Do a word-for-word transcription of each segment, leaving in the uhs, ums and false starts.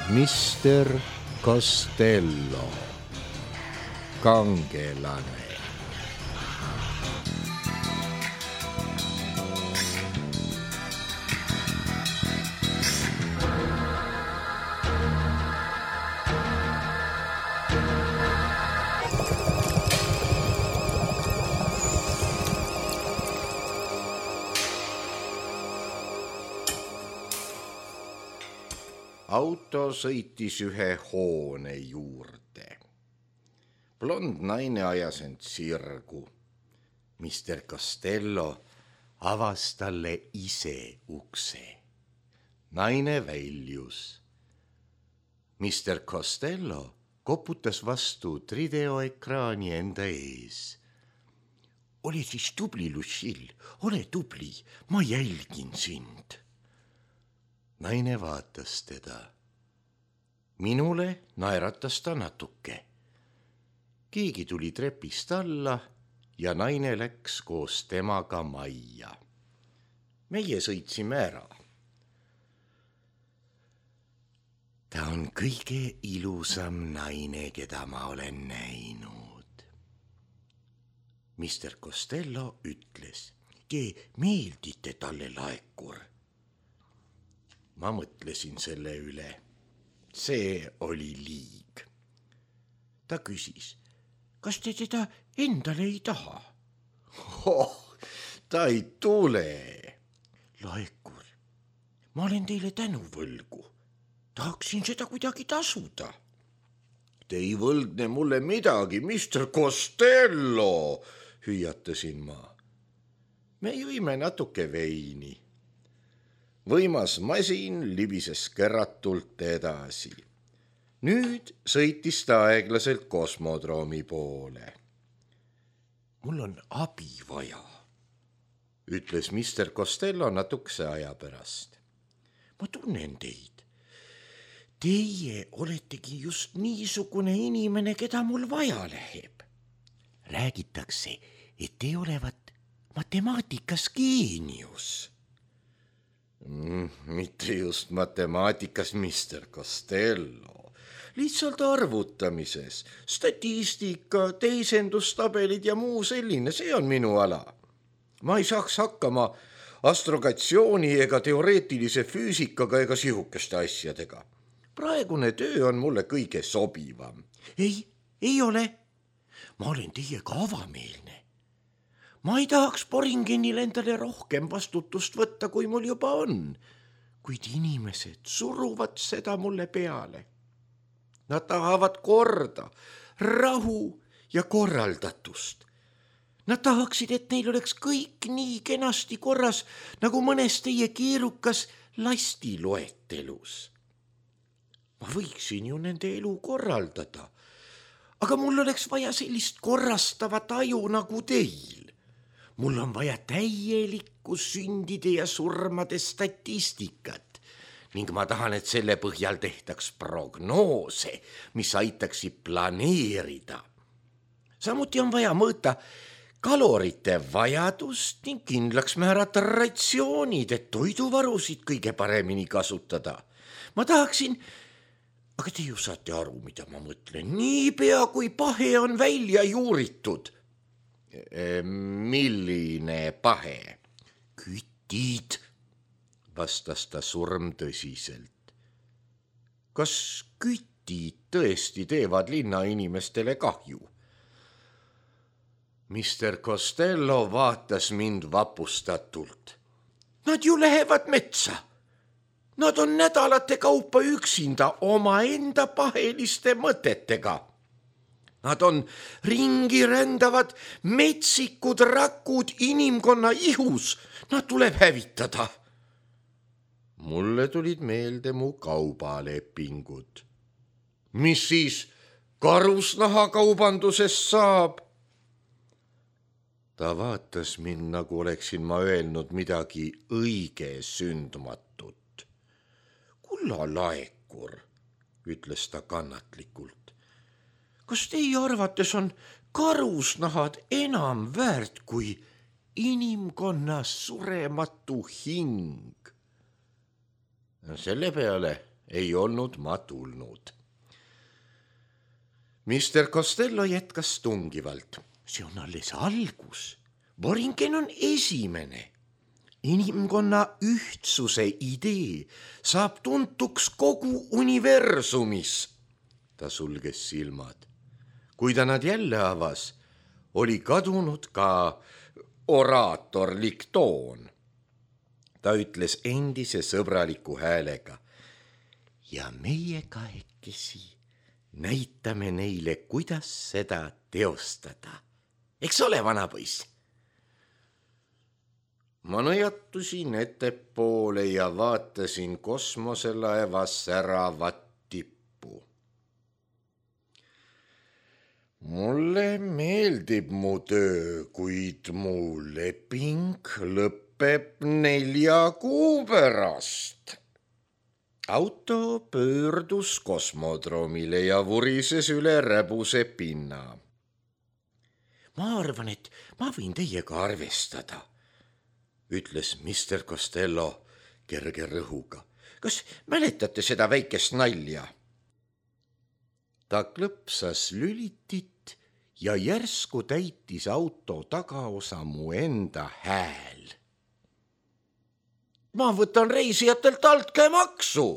mister Costello, kangelane. Auto sõitis ühe hoone juurde. Blond naine ajas end sirgu. mister Costello avas talle ise ukse. Naine väljus. mister Costello koputas vastu videoekraani enda ees. Ole siis tubli, Lucille, ole tubli, ma jälgin sind. Naine vaatas teda. Minule naeratas ta natuke. Keegi tuli trepist alla ja naine läks koos temaga majja. Meie sõitsime ära. Ta on kõige ilusam naine, keda ma olen näinud. mister Costello ütles, te meeldite talle, Laekur. Ma mõtlesin selle üle. See oli liig. Ta küsis, kas te teda endale ei taha? Oh, ta ei tule. Laekur, ma olen teile tänuvõlgu. Tahaksin seda kuidagi tasuda. Te ei võlgne mulle midagi, mister Costello, hüüatasin ma. Me jõime natuke veini. Võimas masin libises keratult edasi. Nüüd sõitis ta aeglaselt kosmodroomi poole. Mul on abi vaja, ütles mister Costello natukese aja pärast. Ma tunnen teid. Teie oletegi just niisugune inimene, keda mul vaja läheb. Räägitakse, et te olevat matemaatikas geenius. Mm, mitte just matemaatikas, mister Costello. Lihtsalt arvutamises, statistika, teisendustabelid ja muu selline, see on minu ala. Ma ei saaks hakkama astrogatsiooni ega teoreetilise füüsikaga ega sihukeste asjadega. Praegune töö on mulle kõige sobivam. Ei, ei ole. Ma olen teiega avameelne. Ma ei tahaks Boringenil endale rohkem vastutust võtta, kui mul juba on, kuid inimesed suruvad seda mulle peale. Nad tahavad korda, rahu ja korraldatust. Nad tahaksid, et neil oleks kõik nii kenasti korras, nagu mõnes teie keerukas lastiloetelus. Ma võiksin ju nende elu korraldada, aga mul oleks vaja sellist korrastavat aju nagu teil. Mul on vaja täielikku sündide ja surmade statistikat ning ma tahan, et selle põhjal tehtaks prognoose, mis aitaksid planeerida. Samuti on vaja mõõta kalorite vajadust ning kindlaks määrata ratsioonid, et toiduvarusid kõige paremini kasutada. Ma tahaksin, aga te ju saate aru, mida ma mõtlen, niipea kui pahe on välja juuritud. Milline pahe? Kütid, vastas ta surm tõsiselt. Kas kütid tõesti teevad linnainimestele kahju? mister Costello vaatas mind vapustatult. Nad ju lähevad metsa. Nad on nädalate kaupa üksinda omaenda paheliste mõtetega. Nad on ringi rändavad metsikud rakud inimkonna ihus. Nad tuleb hävitada. Mulle tulid meelde mu kaubalepingud. Mis siis karusnahakaubandusest saab? Ta vaatas mind, nagu oleksin ma öelnud midagi õige sündmatut. Kulla Laekur, ütles ta kannatlikult. Kas teie arvates on karusnahad enam väärt kui inimkonna surematu hing? Selle peale ei olnud ma tulnud. mister Costello jätkas tungivalt. See on alles algus. Boringen on esimene. Inimkonna ühtsuse idee saab tuntuks kogu universumis. Ta sulges silmad. Kui ta nad jälle avas, oli kadunud ka oraatorlik toon. Ta ütles endise sõbraliku häälega. Ja meie kahekesi näitame neile, kuidas seda teostada. Eks ole, vanapoiss? Ma nõjatusin ettepoole ja vaatasin kosmoselaeva säravat tippu. Mulle meeldib mu töö, kuid mu leping lõpeb nelja kuu pärast. Auto pöördus kosmodroomile ja vurises üle räbuse pinna. Ma arvan, et ma võin teiega arvestada, ütles mister Costello kerge rõhuga. Kas mäletate seda väikest nalja? Ta klõpsas lülitit ja järsku täitis auto tagaosa mu enda hääl. Ma võtan reisijatelt altkäemaksu.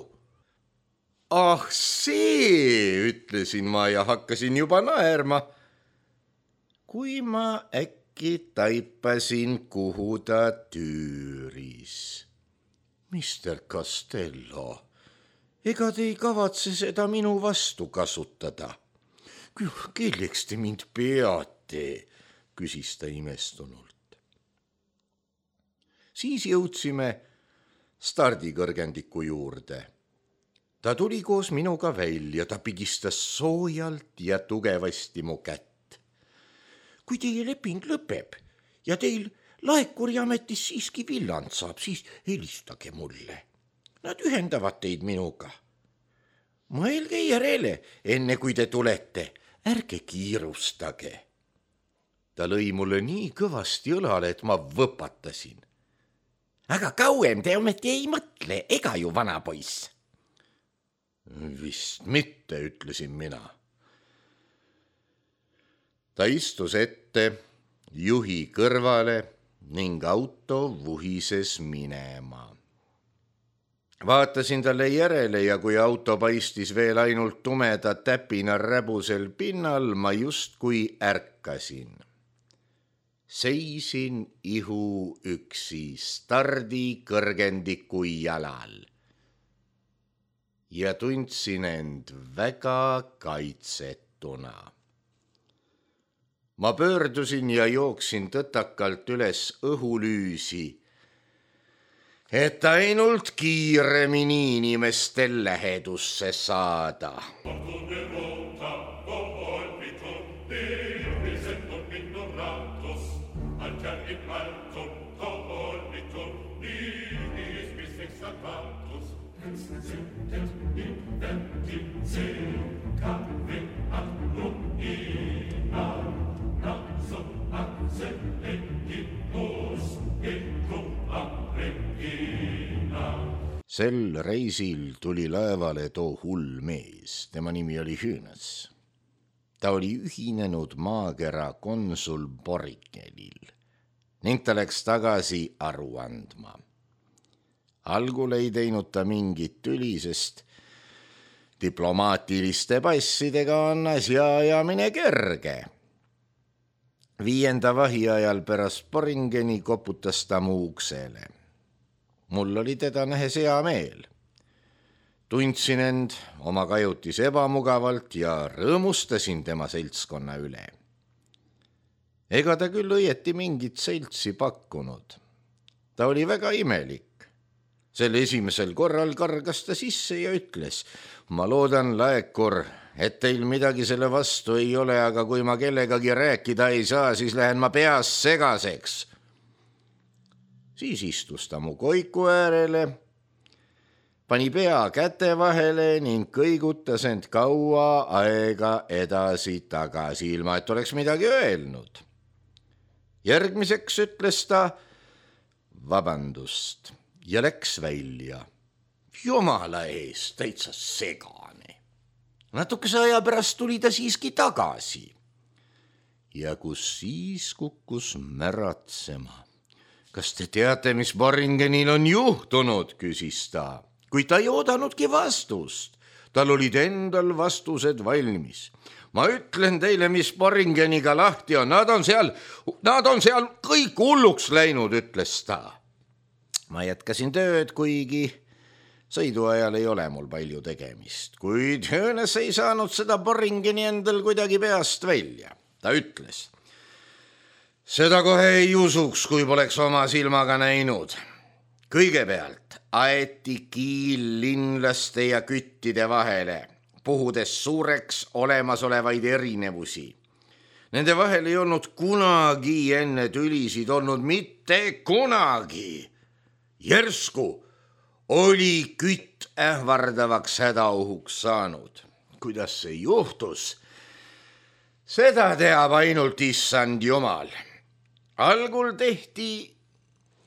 Ah see, ütlesin ma ja hakkasin juba naerma. Kui ma äkki taipasin, kuhu ta tüüris. mister Costello, ega te ei kavatse seda minu vastu kasutada? Kelleks te mind peate, küsis ta imestunult. Siis jõudsime stardikõrgendiku juurde. Ta tuli koos minuga välja, ta pigistas soojalt ja tugevasti mu kätt. Kui teie leping lõpeb ja teil laekuriametis siiski villand saab, siis helistage mulle. Nad ühendavad teid minuga. Mõelge järele, enne kui te tulete, ärge kiirustage. Ta lõi mulle nii kõvasti õlale, et ma võpatasin. Aga kauem te ometi ei mõtle, ega ju, vanapoiss? Vist mitte, ütlesin mina. Ta istus ette juhi kõrvale ning auto vuhises minema. Vaatasin talle järele ja kui auto paistis veel ainult tumeda täpina räbusel pinnal, ma justkui ärkasin. Seisin ihu üksi stardi kõrgendiku jalal ja tundsin end väga kaitsetuna. Ma pöördusin ja jooksin tõtakalt üles õhulüüsi, et ainult kiiremini inimestel lähedusse saada. Sel reisil tuli laevale too hull mees, tema nimi oli Hüünas. Ta oli ühinenud maakera konsul Borikenil ning ta läks tagasi aru andma. Algul ei teinud ta mingit tüli, sest diplomaatiliste passidega on asja ajamine kerge. Viienda vahi ajal pärast Boringeni koputas ta mu uksele. Mul oli teda nähes hea meel. Tundsin end oma kajutis ebamugavalt ja rõõmustasin tema seltskonna üle. Ega ta küll õieti mingit seltsi pakkunud. Ta oli väga imelik. Sel esimesel korral kargas ta sisse ja ütles, ma loodan, laekur, et teil midagi selle vastu ei ole, aga kui ma kellegagi rääkida ei saa, siis lähen ma peas segaseks. Siis istus ta mu koiku äärele, pani pea käte vahele ning kõigutas end kaua aega edasi tagasi, ilma et oleks midagi öelnud. Järgmiseks ütles ta vabandust ja läks välja. jumala eest, täitsa segane. Natukese aja pärast tuli ta siiski tagasi. Ja kus siis kukkus märatsema. Kas te teate, mis Boringenil on juhtunud, küsis ta, kuid ta ei oodanudki vastust. Tal olid endal vastused valmis. Ma ütlen teile, mis Boringeniga lahti on. Nad on seal, nad on seal kõik hulluks läinud, ütles ta. Ma jätkasin tööd, kuigi sõiduajal ei ole mul palju tegemist. Kuid Hönes ei saanud seda Boringeni endal kuidagi peast välja. Ta ütles, seda kohe ei usuks, kui poleks oma silmaga näinud. Kõigepealt aeti kiil linlaste ja küttide vahele, puhudes suureks olemasolevaid erinevusi. Nende vahel ei olnud kunagi enne tülisid olnud, mitte kunagi. Järsku oli kütt ähvardavaks hädaohuks saanud. Kuidas see juhtus? Seda teab ainult issand Jumal. Algul tehti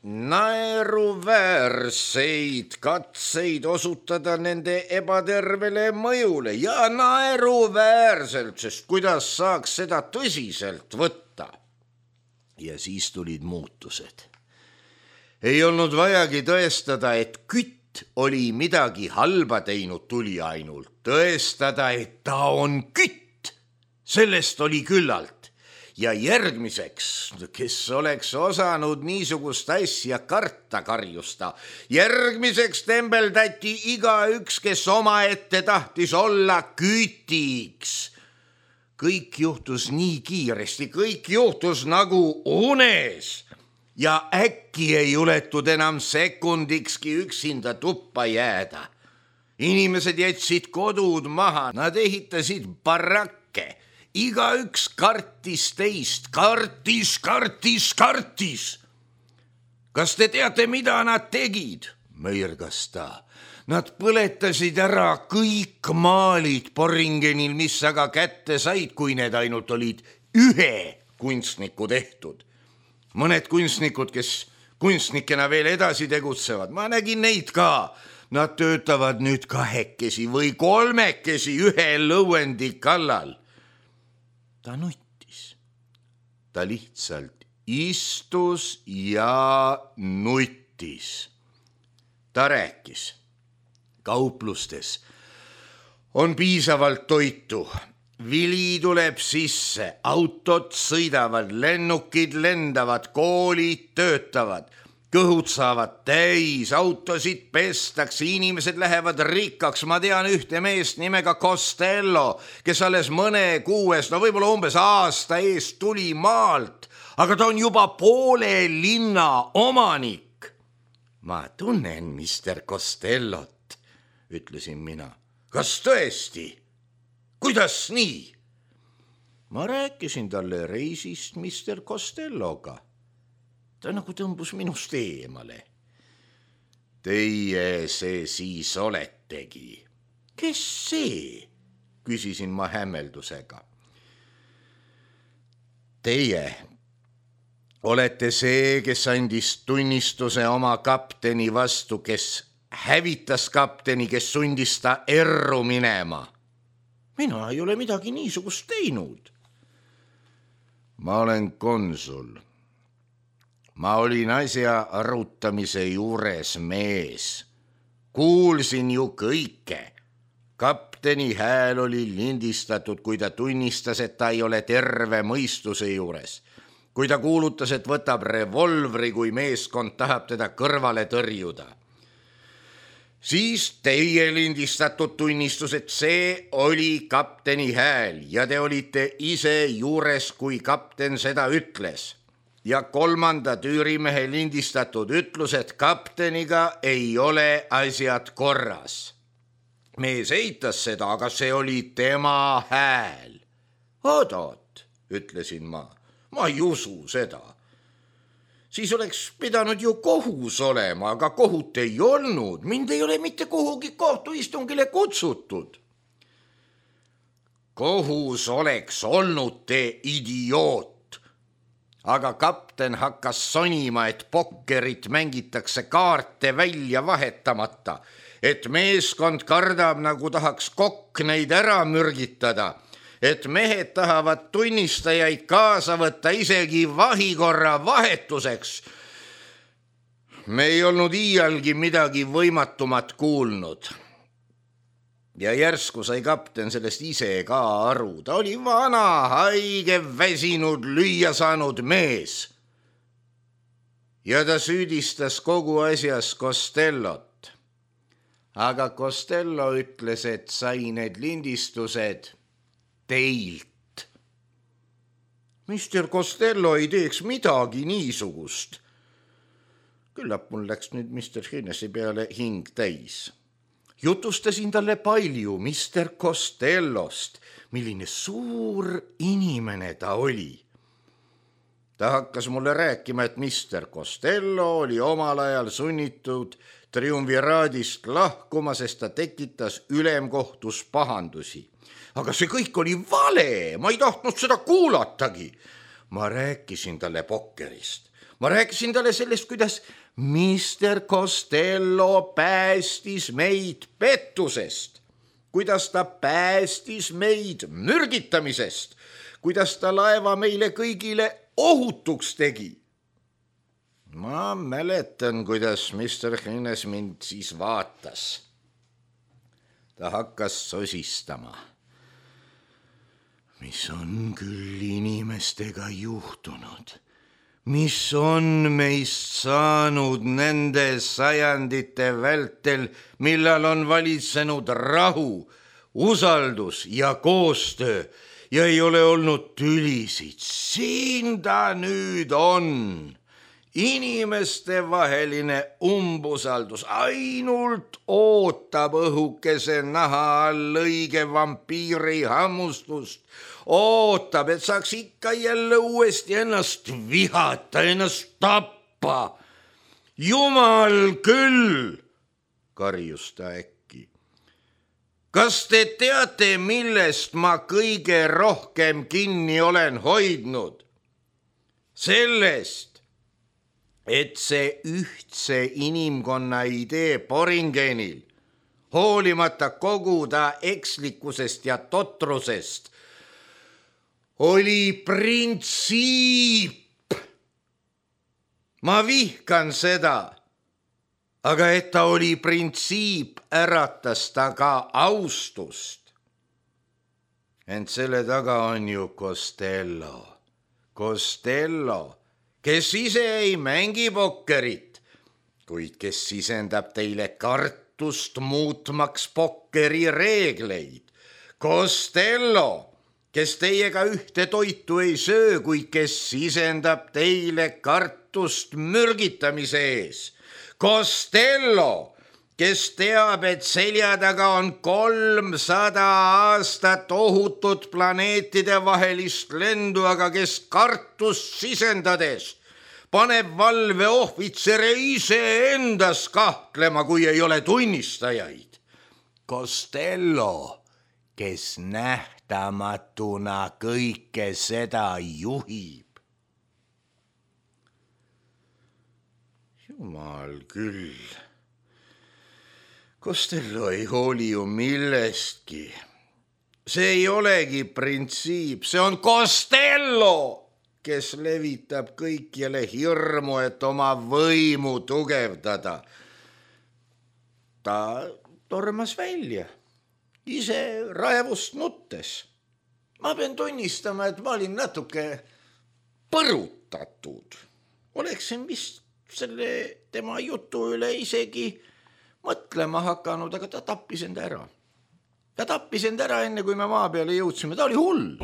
naeruväärseid katseid osutada nende ebatervele mõjule ja naeruväärselt, sest kuidas saaks seda tõsiselt võtta. Ja siis tulid muutused. Ei olnud vajagi tõestada, et kütt oli midagi halba teinud, tuli ainult tõestada, et ta on kütt. Sellest oli küllalt ja järgmiseks, kes oleks osanud niisugust asja karta, karjusta, järgmiseks tembeldati igaüks, kes omaette tahtis olla kütiks. Kõik juhtus nii kiiresti, kõik juhtus nagu unes ja äkki ei juletud enam sekundikski üksinda tuppa jääda. Inimesed jätsid kodud maha, nad ehitasid barakke. Igaüks kartis teist, kartis, kartis, kartis. Kas te teate, mida nad tegid? Mõirgas ta. Nad põletasid ära kõik maalid Boringenil, mis aga kätte said, kui need ainult olid ühe kunstniku tehtud. Mõned kunstnikud, kes kunstnikena veel edasi tegutsevad, ma nägin neid ka. Nad töötavad nüüd kahekesi või kolmekesi ühe lõuendi kallal. Ta nuttis. Ta lihtsalt istus ja nuttis. Ta rääkis. Kauplustes on piisavalt toitu. Vili tuleb sisse, autod sõidavad, lennukid lendavad, koolid töötavad. Kõhud saavad täis, autosid pestakse, inimesed lähevad rikkaks. Ma tean ühte meest nimega Costello, kes alles mõne kuues, no võib-olla umbes aasta eest tuli maalt, aga ta on juba poole linna omanik. Ma tunnen mister Costellot, ütlesin mina. Kas tõesti? Kuidas nii? Ma rääkisin talle reisist mister Costelloga. Ta nagu tõmbus minust eemale. Teie see siis oletegi. Kes see? Küsisin ma hämmeldusega. Teie olete see, kes andis tunnistuse oma kapteni vastu, kes hävitas kapteni, kes sundis ta erru minema. Mina ei ole midagi niisugust teinud. Ma olen konsul. Ma olin asja arutamise juures mees. Kuulsin ju kõike. Kapteni hääl oli lindistatud, kui ta tunnistas, et ta ei ole terve mõistuse juures. Kui ta kuulutas, et võtab revolvri, kui meeskond tahab teda kõrvale tõrjuda. Siis teie lindistatud tunnistus, et see oli kapteni hääl ja te olite ise juures, kui kapten seda ütles. Ja kolmanda tüürimehe lindistatud ütlus, et kapteniga ei ole asjad korras. Mees eitas seda, aga see oli tema hääl. Oot-oot, ütlesin ma, ma ei usu seda. Siis oleks pidanud ju kohus olema, aga kohut ei olnud. Mind ei ole mitte kuhugi kohtuistungile kutsutud. Kohus oleks olnud, te idioot. aga kapten hakkas sonima, et pokkerit mängitakse kaarte välja vahetamata, et meeskond kardab, nagu tahaks kokk neid ära mürgitada, et mehed tahavad tunnistajaid kaasa võtta isegi vahikorra vahetuseks. Me ei olnud iialgi midagi võimatumat kuulnud. Ja järsku sai kapten sellest ise ka aru. Ta oli vana, haige, väsinud, lüüa saanud mees. Ja ta süüdistas kogu asjas Costellot. Aga Costello ütles, et sai need lindistused teilt. mister Costello ei teeks midagi niisugust. Küllap mul läks nüüd mister Hennessy peale hing täis. Jutustasin talle palju mister Costellost, milline suur inimene ta oli. Ta hakkas mulle rääkima, et mister Costello oli omal ajal sunnitud triumviraadist lahkuma, sest ta tekitas ülemkohtus pahandusi. Aga see kõik oli vale, ma ei tahtnud seda kuulatagi. Ma rääkisin talle pokkerist. Ma rääkisin talle sellest, kuidas mister Costello päästis meid pettusest, kuidas ta päästis meid mürgitamisest, kuidas ta laeva meile kõigile ohutuks tegi. Ma mäletan, kuidas mister Hines mind siis vaatas. Ta hakkas sosistama. Mis on küll inimestega juhtunud? Mis on meist saanud nende sajandite vältel, millal on valitsenud rahu, usaldus ja koostöö ja ei ole olnud tülisid? Siin ta nüüd on. Inimeste vaheline umbusaldus ainult ootab õhukese naha all õige vampiiri hammustust. Ootab, et saaks ikka jälle uuesti ennast vihata, ennast tappa. Jumal küll, karjus ta äkki. Kas te teate, millest ma kõige rohkem kinni olen hoidnud? Sellest, et see ühtse inimkonna idee Boringenil, hoolimata kogu ta ekslikkusest ja totrusest, oli printsiip. Ma vihkan seda, aga et ta oli printsiip, äratas ta ka austust. Ent selle taga on ju Costello. Costello, kes ise ei mängi pokkerit, kuid kes sisendab teile kartust muutmaks pokkeri reegleid. Costello, kes teiega ühte toitu ei söö, kuid kes sisendab teile kartust mürgitamise ees. Costello, kes teab, et selja taga on kolmsada aastat ohutut planeetide vahelist lendu, aga kes kartust sisendades paneb valveohvitsere iseendas kahtlema, kui ei ole tunnistajaid. Costello, kes nähtamatuna kõike seda juhib. Jumal küll. Costello ei hooli ju millestki. See ei olegi printsiip, see on Costello, kes levitab kõikjale hirmu, et oma võimu tugevdada. Ta tormas välja, ise raevust nuttes. Ma pean tunnistama, et ma olin natuke põrutatud. Oleksin vist selle tema jutu üle isegi mõtlema hakanud, aga ta tappis enda ära. Ta tappis enda ära enne, kui me maa peale jõudsime. Ta oli hull.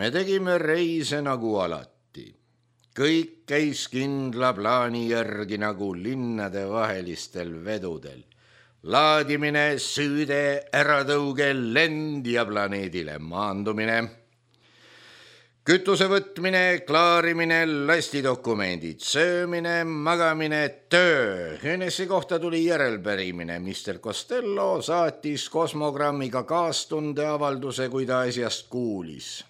Me tegime reise nagu alati. kõik käis kindla plaani järgi nagu linnadevahelistel vedudel. Laadimine, süüde, äratõuge, lend ja planeedile maandumine. Kütuse võtmine, klaarimine, lastidokumendid, söömine, magamine, töö. Hennessy kohta tuli järelpärimine. mister Costello saatis kosmogrammiga kaastundeavalduse, kui ta asjast kuulis.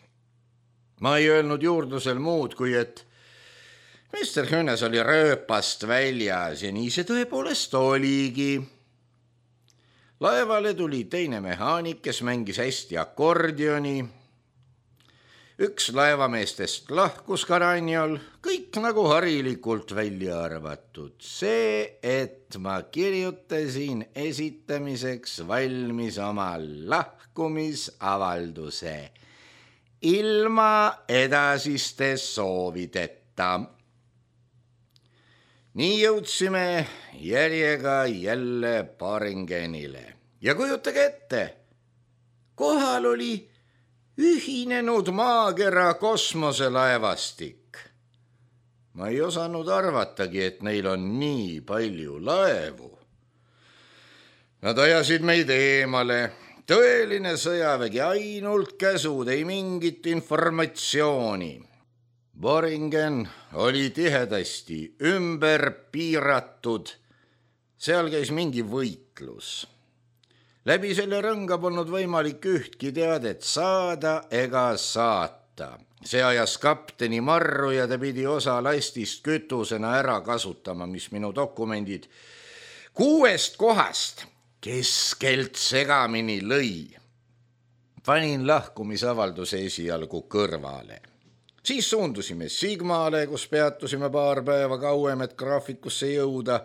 Ma ei öelnud juurdlusel muud, kui et mister Hönnes oli rööpast väljas ja nii see tõepoolest oligi. Laevale tuli teine mehaanik, kes mängis hästi akordioni. Üks laevameestest lahkus Karanjal, kõik nagu harilikult välja arvatud. See, et ma kirjutasin esitamiseks valmis oma lahkumisavalduse ilma edasiste soovideta. Nii jõudsime järjega jälle Boringenile. Ja kujutage ette, kohal oli ühinenud maakera kosmoselaevastik. Ma ei osanud arvatagi, et neil on nii palju laevu. Nad ajasid meid eemale. Tõeline sõjavägi, ainult käsud, ei mingit informatsiooni. Boringen oli tihedasti ümber piiratud. Seal käis mingi võitlus. Läbi selle rõnga polnud võimalik ühtki teadet saada ega saata. See ajas kapteni marru ja ta pidi osa lastist kütusena ära kasutama, mis minu dokumendid kuuest kohast keskelt segamini lõi. Panin lahkumisavalduse esialgu kõrvale. Siis suundusime Sigmale, kus peatusime paar päeva kauem, et graafikusse jõuda.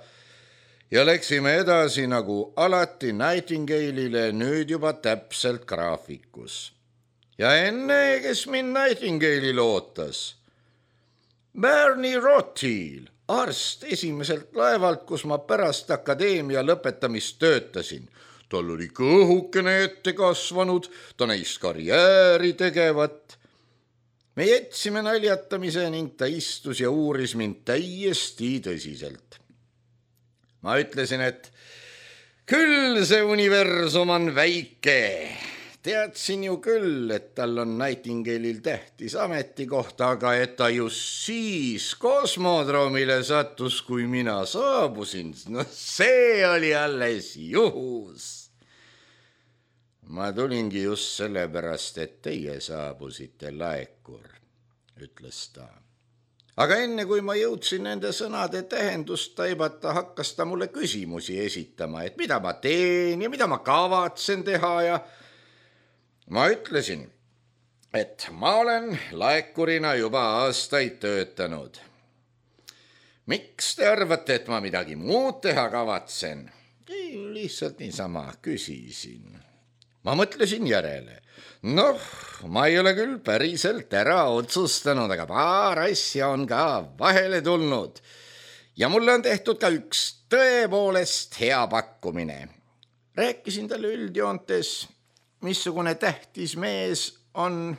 Ja läksime edasi nagu alati Nightingale'ile, nüüd juba täpselt graafikus. Ja enne, kes mind Nightingale'il ootas, Bernie Rothil, arst esimeselt laevalt, kus ma pärast akadeemia lõpetamist töötasin. Tal oli kõhukene ette kasvanud, ta näis karjääri tegevat. Me jätsime naljatamise ning ta istus ja uuris mind täiesti tõsiselt. Ma ütlesin, et küll see universum on väike. Teadsin ju küll, et tal on Nightingale'il tähtis ametikoht, aga et ta just siis kosmodroomile sattus, kui mina saabusin. No see oli alles juhus. Ma tulingi just sellepärast, et teie saabusite, Laekur, ütles ta. Aga enne, kui ma jõudsin nende sõnade tähendust taibata, hakkas ta mulle küsimusi esitama, et mida ma teen ja mida ma kavatsen teha ja ma ütlesin, et ma olen laekurina juba aastaid töötanud. Miks te arvate, et ma midagi muud teha kavatsen? Ei, lihtsalt niisama küsisin. Ma mõtlesin järele. Noh, ma ei ole küll päriselt ära otsustanud, aga paar asja on ka vahele tulnud. Ja mulle on tehtud ka üks tõepoolest hea pakkumine. Rääkisin talle üldjoontes, missugune tähtis mees on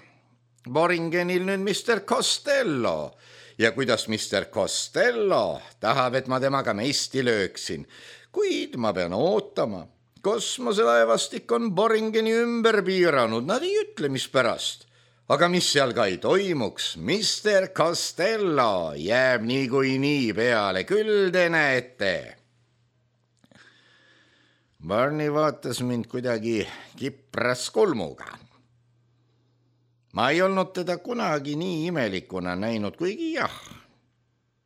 Boringenil nüüd mister Costello ja kuidas mister Costello tahab, et ma temaga mesti lööksin, kuid ma pean ootama. Kosmoselaevastik on Boringeni ümber piiranud, nad ei ütle, mis pärast. Aga mis seal ka ei toimuks, mister Costello jääb nii kui nii peale, küll te näete. Barney vaatas mind kuidagi kipras kulmuga. Ma ei olnud teda kunagi nii imelikuna näinud, kuigi jah.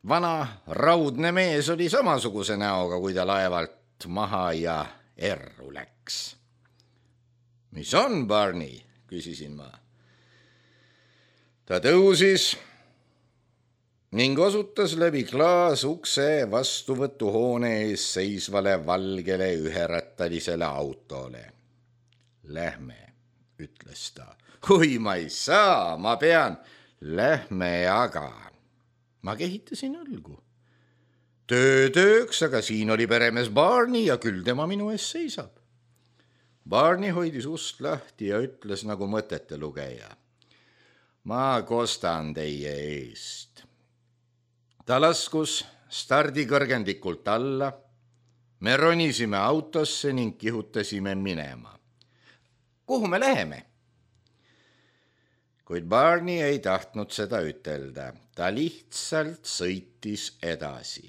Vana raudne mees oli samasuguse näoga, kui ta laevalt maha ja erru läks. Mis on, Barney? Küsisin ma. Ta tõusis ning osutas läbi klaasukse vastuvõtuhoone ees seisvale valgele üherattalisele autole. Lähme, ütles ta. Kui ma ei saa, ma pean. Lähme aga. Ma kehitasin õlgu. Töö tööks, aga siin oli peremees Barney ja küll tema minu ees seisab. Barney hoidis ust lahti ja ütles nagu mõtete lugeja. Ma kostan teie eest. ta laskus stardikõrgendikult alla. Me ronisime autosse ning kihutasime minema. Kuhu me läheme? Kuid Barney ei tahtnud seda ütelda. Ta lihtsalt sõitis edasi.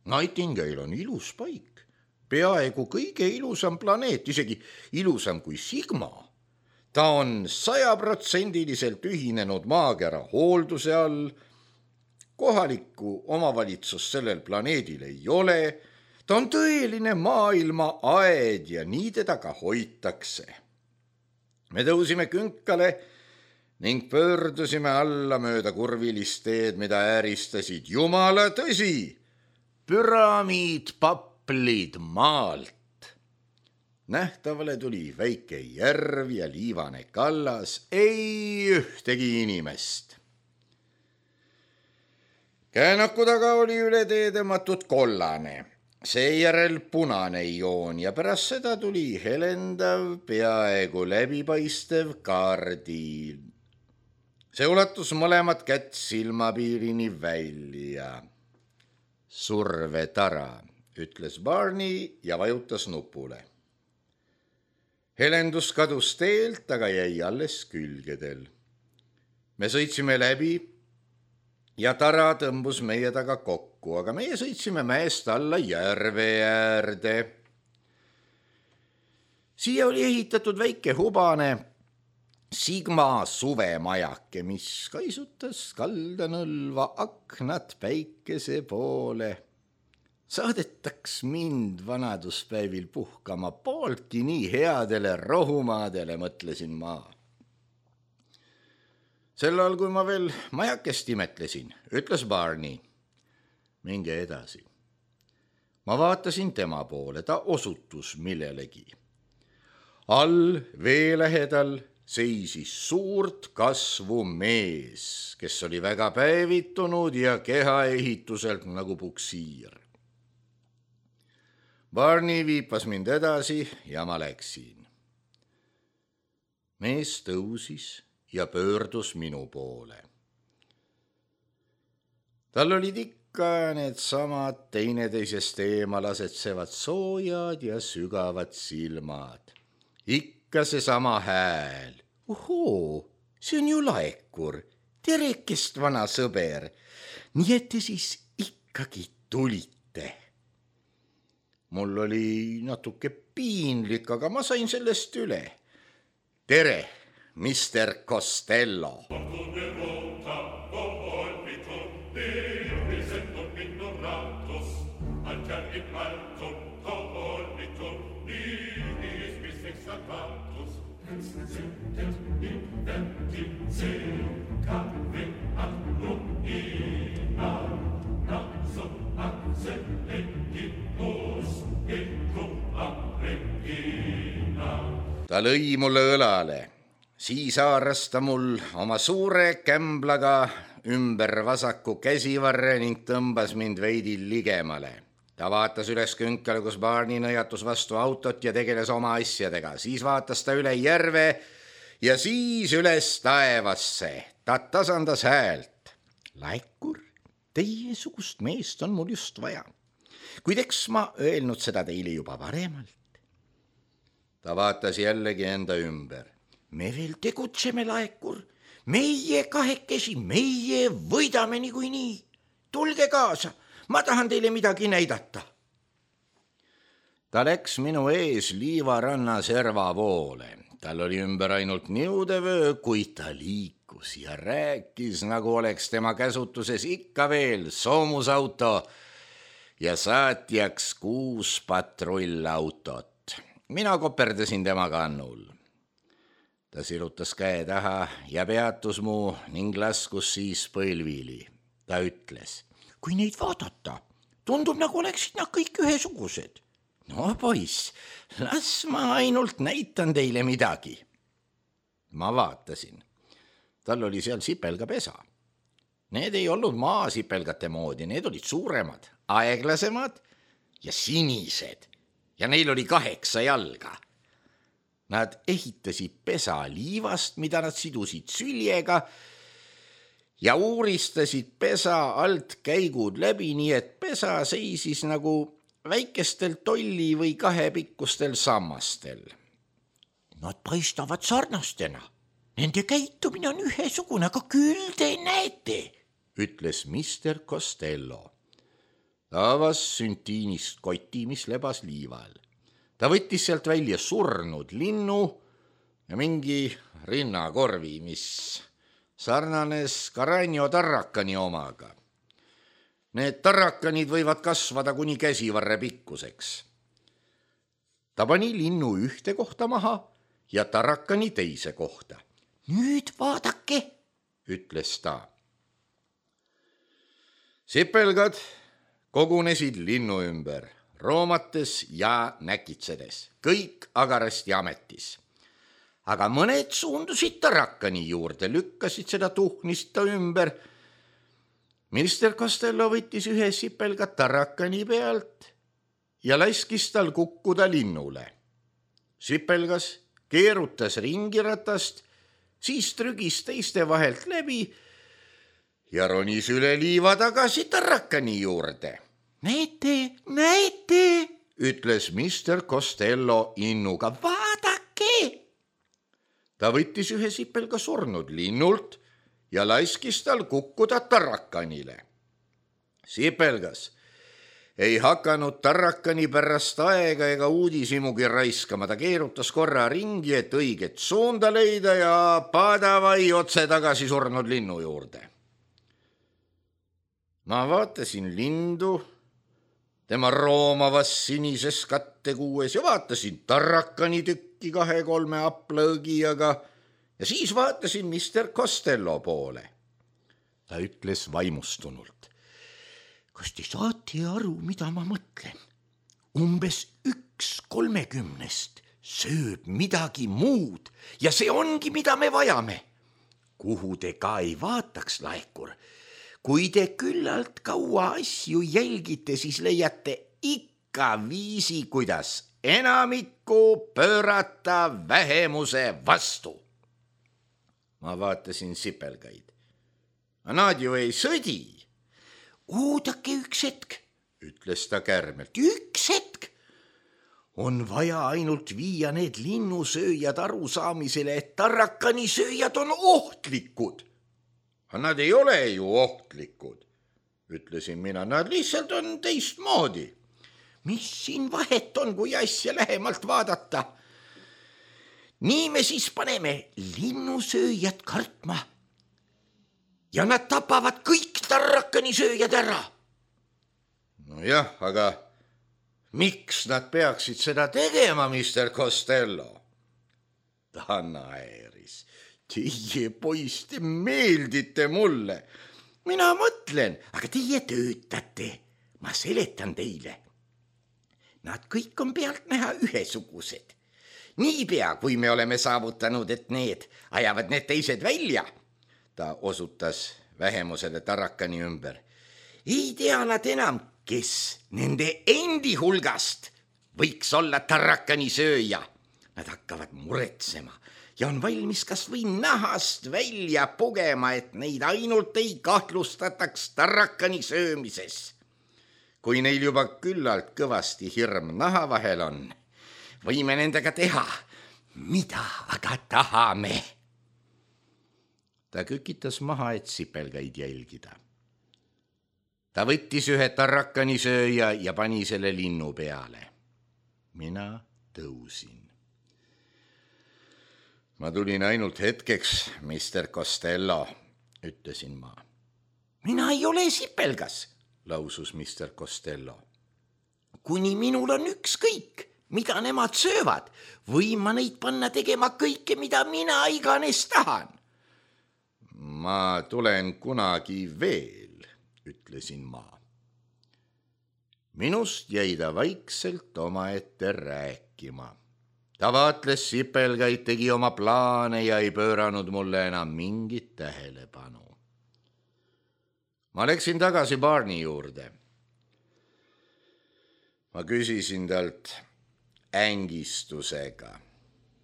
Nightingale on ilus paik. Peaaegu kõige ilusam planeet, isegi ilusam kui Sigma. Ta on sajaprotsendiliselt ühinenud maakera hoolduse all. Kohalikku omavalitsust sellel planeedil ei ole. Ta on tõeline maailma aed ja nii teda ka hoitakse. Me tõusime künkale ning pöördusime alla mööda kurvilist teed, mida ääristasid jumala tõsi. Püramiidpaplid maalt. Nähtavale tuli väike järv ja liivane kallas, ei ühtegi inimest. Käänaku taga oli üle tee tõmmatud kollane, seejärel punane joon ja pärast seda tuli helendav, peaaegu läbipaistev kaardiil. See ulatus mõlemad kätt silmapiirini välja. Survetara, ütles Barney ja vajutas nupule. Helendus kadus teelt, aga jäi alles külgedel. Me sõitsime läbi ja tara tõmbus meie taga kokku, aga meie sõitsime mäest alla järve äärde. Siia oli ehitatud väike hubane Sigma suvemajake, mis kaisutas kaldanõlva aknad päikese poole. Saadetaks mind vanaduspäevil puhkama pooltki nii headele rohumaadele, mõtlesin ma. Sel ajal, kui ma veel majakest imetlesin, ütles Barney. Minge edasi. Ma vaatasin tema poole, ta osutus millelegi. All vee lähedal seisis suurt kasvu mees, kes oli väga päevitunud ja kehaehituselt nagu puksiir. Barney viipas mind edasi ja ma läksin. Mees tõusis ja pöördus minu poole. Tal olid ikka need samad teineteisest eemal asetsevad soojad ja sügavad silmad. Ikka see sama hääl. Ohoo, see on ju Laekur, terekest vana sõber. Nii et te siis ikkagi tulite. Mul oli natuke piinlik, aga ma sain sellest üle. Tere, mister Costello. Ta lõi mulle õlale, siis haaras ta mul oma suure kämblaga ümber vasaku käsivarre ning tõmbas mind veidi ligemale. Ta vaatas üles künkale, kus Barney nõjatus vastu autot ja tegeles oma asjadega. Siis vaatas ta üle järve ja siis üles taevasse. Ta tasandas häält. Laekur, teiesugust meest on mul just vaja. Kuid eks ma öelnud seda teile juba varemalt. Ta vaatas jällegi enda ümber. Me veel tegutseme, Laekur. Meie kahekesi, meie võidame niikuinii. Tulge kaasa, ma tahan teile midagi näidata. Ta läks minu ees liivaranna serva poole. Tal oli ümber ainult niudevöö, kuid ta liikus ja rääkis, nagu oleks tema käsutuses ikka veel soomusauto ja saatjaks kuus patrullautot. Mina koperdasin tema kannul. Ta sirutas käe taha ja peatus mu ning laskus siis põlvili. Ta ütles, kui neid vaadata, tundub nagu oleksid nad kõik ühesugused. No poiss, las ma ainult näitan teile midagi. Ma vaatasin. Tal oli seal sipelgapesa. Need ei olnud maasipelgate moodi, need olid suuremad, aeglasemad ja sinised. Ja neil oli kaheksa jalga. Nad ehitasid pesa liivast, mida nad sidusid süljega ja uuristasid pesa alt käigud läbi, nii et pesa seisis nagu väikestel tolli või kahepikkustel sammastel. Nad paistavad sarnastena. Nende käitumine on ühesugune, aga küll te näete, ütles mister Costello. Ta avas süntiinist koti, mis lebas liival. Ta võttis sealt välja surnud linnu ja mingi rinnakorvi, mis sarnanes Caranio tarrakani omaga. Need tarrakanid võivad kasvada kuni käsivarre pikkuseks. Ta pani linnu ühte kohta maha ja tarrakani teise kohta. Nüüd vaadake, ütles ta. Sipelgad kogunesid linnu ümber, roomates ja näkitsedes, kõik agarasti ametis. Aga mõned suundusid tarrakani juurde, lükkasid seda tuhnist ta ümber. Mister Costello võttis ühe sipelga tarrakani pealt ja laskis tal kukkuda linnule. Sipelgas keerutas ringiratast, siis trügis teiste vahelt läbi ja ronis üle liiva tagasi tarrakani juurde. Näete, näete, ütles mister Costello innuga, vaadake. Ta võttis ühe sipelga surnud linnult ja laskis tal kukkuda tarrakanile. Sipelgas ei hakanud tarrakani pärast aega ega uudisimugi raiskama. Ta keerutas korra ringi, et õiget suunda leida ja padavai otse tagasi surnud linnu juurde. Ma vaatasin lindu tema roomavas sinises kattekuues ja vaatasin tarrakani tükki kahe-kolme aplõõgijaga ja siis vaatasin mister Costello poole. Ta ütles vaimustunult. Kas te saate aru, mida ma mõtlen? Umbes üks kolmekümnest sööb midagi muud ja see ongi, mida me vajame. Kuhu te ka ei vaataks, laekur. Kui te küllalt kaua asju jälgite, siis leiate ikka viisi, kuidas enamikku pöörata vähemuse vastu. Ma vaatasin sipelgaid. Nad ju ei sõdi. Oodake üks hetk, ütles ta kärmelt. Üks hetk. On vaja ainult viia need linnusööjad arusaamisele, et tarrakanisööjad on ohtlikud. Nad ei ole ju ohtlikud, ütlesin mina. Nad lihtsalt on teistmoodi. Mis siin vahet on, kui asja lähemalt vaadata? Nii me siis paneme linnusööjad kartma. Ja nad tapavad kõik tarrakanisööjad ära. No jah, aga miks nad peaksid seda tegema, mister Costello? Ta naeris. Teie poiss, te meeldite mulle. Mina mõtlen, aga teie töötate. Ma seletan teile. Nad kõik on pealt näha ühesugused. Niipea, kui me oleme saavutanud, et need ajavad need teised välja, ta osutas vähemusele tarrakani ümber. Ei tea nad enam, kes nende endi hulgast võiks olla tarrakani sööja. Nad hakkavad muretsema ja on valmis kas või nahast välja pugema, et neid ainult ei kahtlustataks tarrakani söömises. Kui neil juba küllalt kõvasti hirm naha vahel on, võime nendega teha, mida aga tahame. Ta kükitas maha, et sipelgaid jälgida. Ta võttis ühe tarrakanisööja ja pani selle linnu peale. Mina tõusin. Ma tulin ainult hetkeks, mister Costello, ütlesin ma. Mina ei ole sipelgas, lausus mister Costello. Kuni minul on ükskõik, mida nemad söövad, võin ma neid panna tegema kõike, mida mina iganes tahan. Ma tulen kunagi veel, ütlesin ma. Minust jäi ta vaikselt omaette rääkima. Ta vaatles sipelgaid, tegi oma plaane ja ei pööranud mulle enam mingit tähelepanu. Ma läksin tagasi Barney juurde. Ma küsisin talt ängistusega,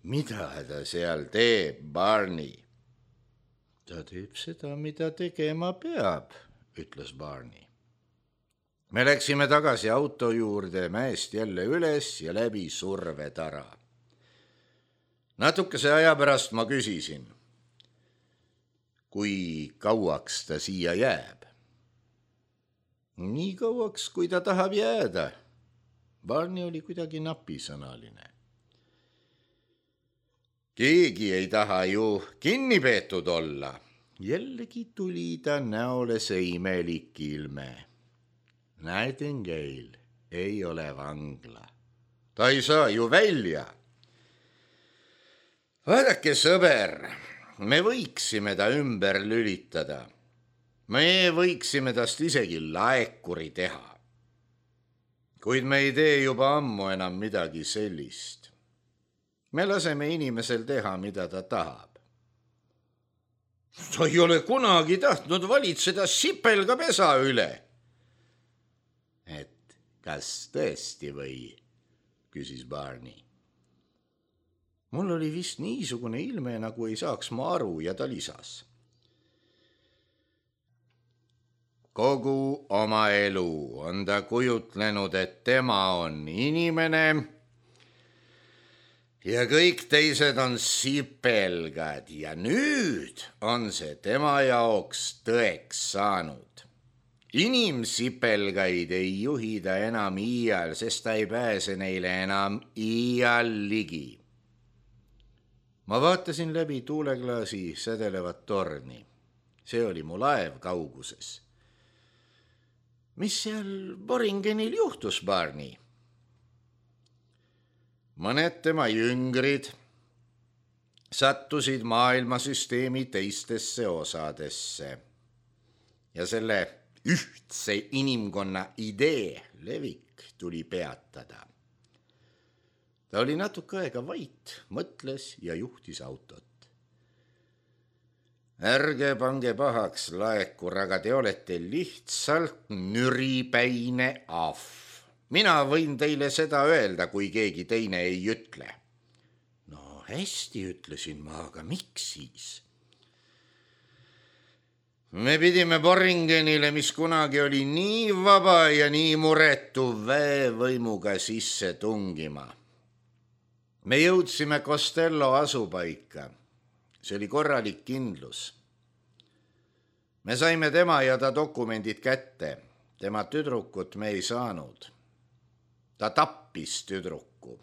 mida ta seal teeb, Barney? ta teeb seda, mida tegema peab, ütles Barney. me läksime tagasi auto juurde, mäest jälle üles ja läbi survetara. Natukese aja pärast ma küsisin, kui kauaks ta siia jääb. nii kauaks, kui ta tahab jääda. Barney oli kuidagi napisõnaline. keegi ei taha ju kinni peetud olla. jällegi tuli ta näole see imelik ilme. Nightingale ei ole vangla. ta ei saa ju välja. vaadake, sõber, me võiksime ta ümber lülitada. me võiksime tast isegi laekuri teha. kuid me ei tee juba ammu enam midagi sellist. me laseme inimesel teha, mida ta tahab. ta ei ole kunagi tahtnud valitseda sipelgapesa üle. et kas tõesti või, küsis Barney. mul oli vist niisugune ilme, nagu ei saaks ma aru, ja ta lisas. kogu oma elu on ta kujutlenud, et tema on inimene ja kõik teised on sipelgad ja nüüd on see tema jaoks tõeks saanud. inimsipelgaid ei juhi ta enam iial, sest ta ei pääse neile enam iial ligi. ma vaatasin läbi tuuleklaasi sädelevat torni. see oli mu laev kauguses. mis seal Boringenil juhtus, Barney? mõned tema jüngrid sattusid maailmasüsteemi teistesse osadesse ja selle ühtse inimkonna idee levik tuli peatada. ta oli natuke aega vait, mõtles ja juhtis autot. ärge pange pahaks, laekur, aga te olete lihtsalt nüripäine ahv. mina võin teile seda öelda, kui keegi teine ei ütle. no hästi, ütlesin ma, aga miks siis? me pidime Boringenile, mis kunagi oli nii vaba ja nii muretu, väevõimuga sisse tungima. me jõudsime Costello asupaika. see oli korralik kindlus. me saime tema ja ta dokumendid kätte. tema tüdrukut me ei saanud. ta tappis tüdruku,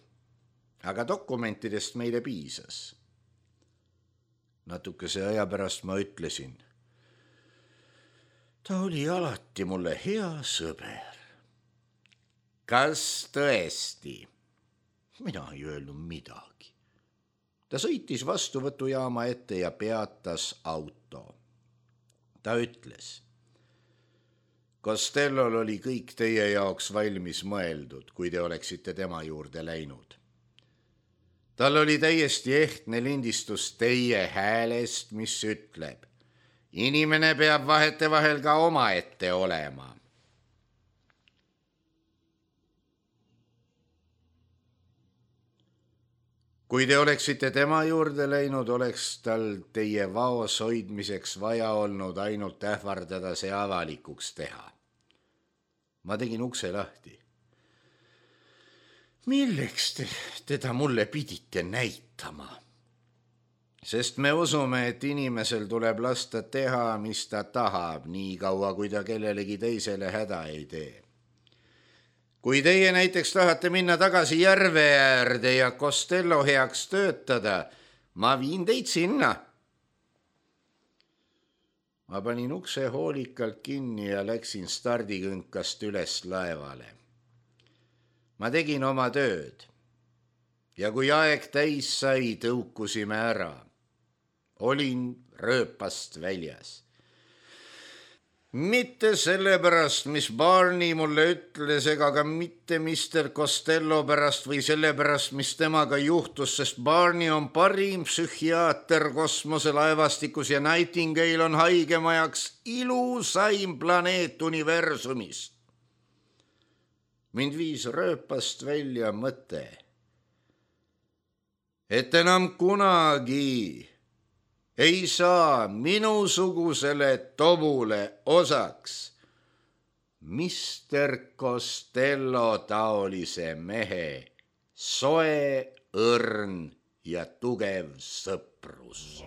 aga dokumentidest meile piisas. natukese aja pärast ma ütlesin, ta oli alati mulle hea sõber. kas tõesti? mina ei öelnud midagi. ta sõitis vastuvõtujaama ette ja peatas auto. ta ütles, Costellol oli kõik teie jaoks valmis mõeldud, kui te oleksite tema juurde läinud. tal oli täiesti ehtne lindistus teie häälest, mis ütleb, inimene peab vahetevahel ka omaette olema. kui te oleksite tema juurde läinud, oleks tal teie vaos hoidmiseks vaja olnud ainult ähvardada see avalikuks teha. ma tegin ukse lahti. milleks te teda mulle pidite näitama? sest me usume, et inimesel tuleb lasta teha, mis ta tahab, nii kaua, kui ta kellelegi teisele häda ei tee. kui teie näiteks tahate minna tagasi järve äärde ja Costello heaks töötada, ma viin teid sinna. ma panin ukse hoolikalt kinni ja läksin stardikünkast üles laevale. ma tegin oma tööd ja kui aeg täis sai, tõukusime ära. olin rööpast väljas. mitte sellepärast, mis Barney mulle ütles, ega ka mitte mister Costello pärast või sellepärast, mis temaga juhtus, sest Barney on parim psühhiaater kosmoselaevastikus ja Nightingale on haigemajaks ilusaim planeet universumist. mind viis rööpast välja mõte, et enam kunagi ei saa minusugusele tobule osaks mister Costello taolise mehe soe, õrn ja tugev sõprus.